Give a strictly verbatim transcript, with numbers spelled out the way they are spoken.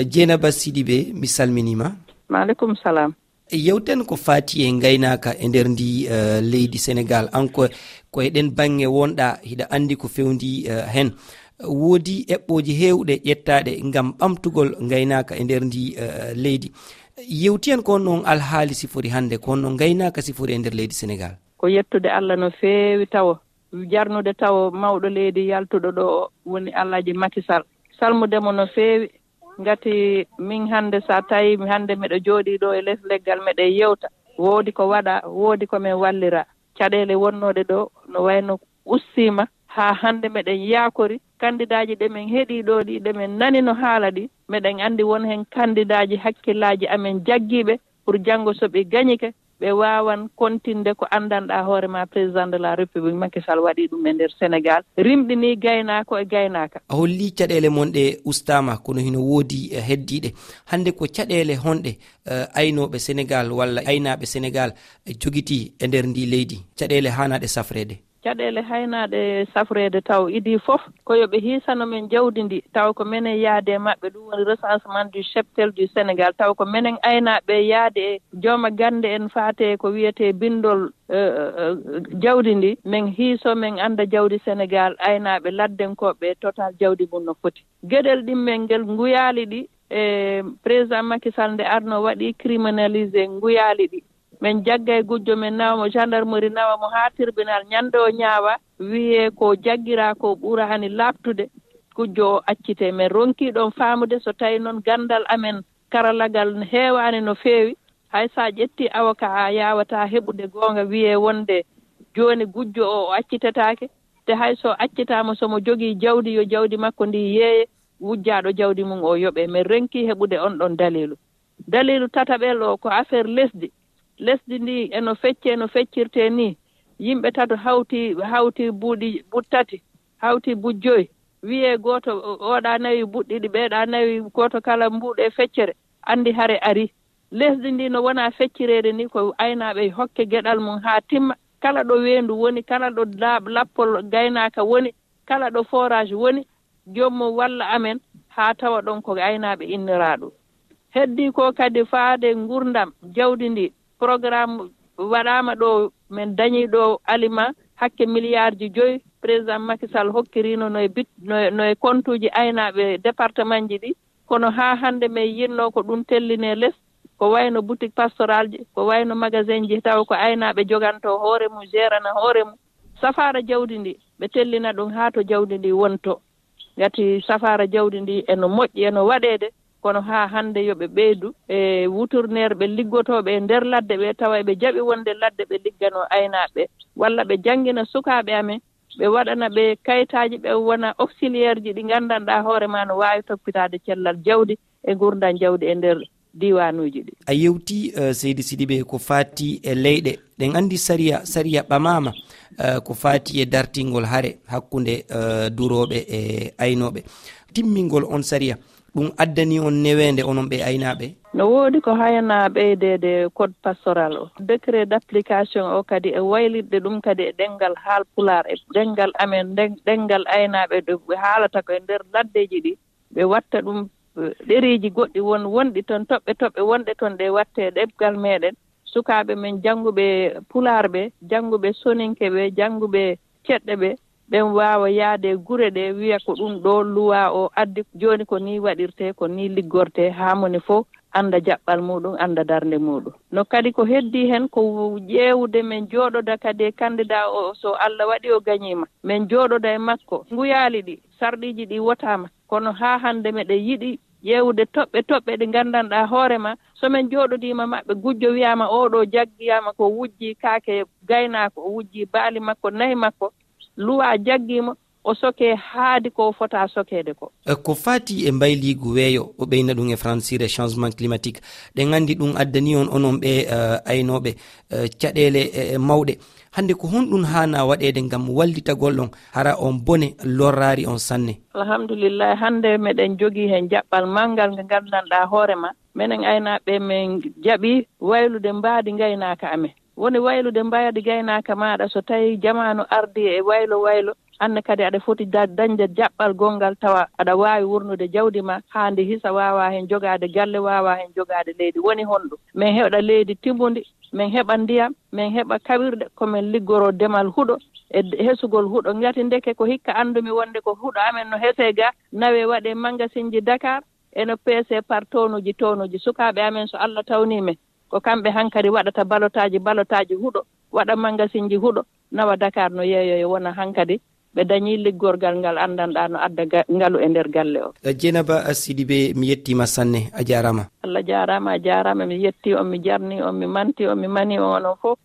Jeynaba Sidibe, mi salminiima. Maaleykum salaam. Yewten ko faati e ngaynaaka e nder ndi, eh, leydi Senegaal. An ko, ko e ɗen baŋŋe wonɗa, hiɗa anndi ko fewndi, eh, hen. Woodi eɓɓooji heewɗe ƴettaaɗe ngam ɓamtugol ngaynaaka e nder ndi, eh, leydi. Yewtiyen ko honno on alhaali sifori hannde, ko honno ngaynaaka sifori e nder leydi Senegaal? Ko yettude Allah no feewi tawo. Jarnude tawo mawɗo leydi yaltuɗo ɗo o woni Alhaji Macky Sall. Salmude mo no feewi. Ngati min hannde, so a tawi mi hannde miɗo jooɗii ɗo e les leggal, miɗo yewta. Woodi ko waɗa, woodi ko min wallira. Caɗeele wonnooɗe ɗo no wayno ustiima. Haa hannde miɗen yaakori kandidaaji ɗi min heɗii ɗo ɗi, ɗi min nani no haala ɗi. Miɗen anndi won heen kandidaaji hakkillaaji amen jaggiiɓe pour janngo so ɓe gañike, ɓe waawan kontinde ko anndanɗaa hoore ma, président de la République Macky Sall waɗii ɗum e nder Senegaal, rimɗinii gaynaako e gaynaaka. A hollii caɗeele mon ɗe ustaama, kono hino woodi, eh, heddiiɗe. Hannde ko caɗeele honɗe, eh, aynooɓe Senegaal walla aynaaɓe Senegaal, eh, jogitii e nder ndi leydi? Caɗeele haanaaɗe safreede. Caɗeele haanaaɗe safreede taw idii fof ko yo ɓe hiisano men jawdi ndi, taw ko menen yaade e maɓɓe, ɗum woni recensement du cheptel du Sénégal, taw ko menen aynaaɓe yaade e jooma gannde en faate ko wiyetee binndol, eh, eh, jawdi ndi, men hiiso, men annda jawdi Senegaal, aynaaɓe laddenkooɓe total jawdi mum no foti. Geɗel ɗimmel ngel nguyaali ɗi, e président Macky Sall nde arno waɗi criminalisé nguyaali ɗi. Min jagga e gujjo, min nawa mo gendarmerie, nawa mo haa tribunal. Ñande o ñaawa, wiyee ko jaggiraa ko ɓuraani laaɓtude, gujjo o accitee. Min ronkii ɗoon faamude so tawi noon ganndal amen karallagal heewaani no feewi, hay so a ƴettii avocat a yaawataa heɓude goonga, wiyee wonde jooni gujjo o, o accitetaake. Te hay so accitaama, so mo jogii jawdi, yo jawdi makko ndi yeeye, wujjaaɗo jawdi mum o yoɓee. Min ronkii heɓude on ɗoon daliilu. Daliilu tataɓel o ko affaire lesdi. Lesdi ndi eno feccee no feccirtee nii. Yimɓe tato hawti, hawti buuɗi, buuɗi tati, hawti buuɗi joyi. Wiyee gooto, o-, oɗa nawi buuɗi ɗiɗi, ɓeeɗa nawi, gooto kala mbuuɗe feccere. Anndi hare ari. Lesdi ndi no wona feccireede ni, ko aynaaɓe hokke geɗal mum haa timma. Kala ɗo weendu woni, kala ɗo laaɓ-, lappol gaynaaka woni, kala ɗo forage woni, joom mum walla amen haa tawa ɗon ko aynaaɓe innoraaɗo. Heddii ko kadi faade ngurdam jawdi ndi. Programme waɗaama ɗo, min dañii ɗo aliment hakke miliyaarji joyi. Président Macky Sall hokkiriino no e bit-, no e, no e kontuuji aynaaɓe départementji ɗi. Kono haa hannde min yinnoo ko ɗum tellinee les, ko wayno boutique pastoralji, ko wayno magasinji, taw ko aynaaɓe jogantoo hoore mum, gérana hoore mum. Safaara jawdi ndi, ɓe tellina ɗum haa to jawdi ndi wonto. Ngati safaara jawdi ndi eno moƴƴi, eno waɗeede, kono haa hannde yo ɓe ɓeydu e wuturneer ɓe liggotooɓe e nder ladde ɓe, tawa eɓe jaɓi wonde ladde ɓe ligganoo aynaaɓe, walla ɓe janngina sukaaɓe amen, ɓe waɗana ɓe kayitaaji, ɓe wona auxiliaire ji ɗi nganndanɗaa hoore ma no waawi toppitaade cellal jawdi e ngurdan jawdi e nder diiwanuuji ɗi. A yewti, eh, Seydi Sidibe, ko faati e leyɗe. Ɗen anndi sariya, sariya ɓamaama, eh, ko faati e dartingol hare hakkunde, eh, durooɓe e aynooɓe. Timmingol on sariya, ɗum addani on neweende onon ɓe aynaaɓe? No woodi ko hayanaa ɓeydeede code pastoral o. Décret d'application o kadi e waylitde ɗum kadi e ɗemngal Haalpulaar e ɗemngal amen, ɗen-, ɗemngal aynaaɓe ɗo ɓe haalata ko e nder laddeeji ɗi. Ɓe watta ɗum, eh, ɗereeji goɗɗi won, wonɗi toon, toɓɓe toɓɓe wonɗe toon ɗe watte ɗemngal meɗen. Sukaaɓe men jannguɓe Pulaar ɓe, jannguɓe Soninke ɓe, jannguɓe ceɗɗe ɓe, ɓen waawa yaade e gure ɗe, wiya ko ɗum ɗo luwa o addi, jooni ko ni waɗirte, ko ni liggorte, haa moni fof annda jaɓɓal muɗum, annda darnde muɗum. No kadi ko heddi hen ko ƴeewude, men jooɗoda kadi e candidat o, so Allah waɗi o gañiima, men jooɗoda e makko. Nguyaali ɗi, sarɗiiji ɗi wotaama, kono haa hannde meɗen yiɗi ƴeewude toɓɓe toɓɓe ɗe nganndanɗaa hoore ma, so men jooɗodiima maɓɓe, gujjo wiyaama oo ɗo jaggiyaama ko wujji kaake gaynaako, o wujji baali makko, nayi makko, luwaa jaggii mo, o sokee haadi ko o fota sokeede ko. E, ko faati e mbayliigu weeyo, o ɓeyna ɗum e fransire changement climatique. Ɗen anndi ɗum addani on, onon ɓe, eh, aynooɓe, eh, caɗeele, eh, mawɗe. Hannde ko honɗum haana waɗeede ngam wallitagol on, hara on bone lorraari on sanne? Alhamdulillahi, hannde meɗen jogii heen jaɓɓal manngal ngal nganndanɗaa hoore ma. Menen aynaaɓe, men jaɓi waylude mbaadi ngaynaaka amen. Woni waylude mbaadi gaynaaka maaɗa, so tawi jamaanu ardi e waylo waylo, Aan ne kadi aɗa foti da- dañde jaɓɓal gonngal tawa aɗa waawi wurnude jawdi ma haa ndi hisa, waawa heen jogaade galle, waawa heen jogaade leydi. Woni honɗum? Min heɓa leydi timmundi, min heɓa ndiyam, min heɓa kawirɗe, ko min liggoro demal huɗo e d- hesugol huɗo. Ngati ndeke ko hikka anndumi wonde ko huɗo amen no hesee ga, nawee waɗee mangasinji Dakar, eno peesee par tonuji tonuji. Sukaaɓe amen, so Allah tawnii men, ko kamɓe hankadi waɗata balotaaji, balotaaji huɗo, waɗa mangasinji huɗo, nawa Dakar no yeeyoyo, wona hankadi ɓe dañii liggorgal ngal anndanɗaa no adda ga- ngalu e nder galle o. Jeynaba Sidibe, mi yettiima sanne, a jaaraama. Allah jaaraama, a jaaraama, mi yettii on, mi jarnii on, mi mantii on, mi manii on onon fof.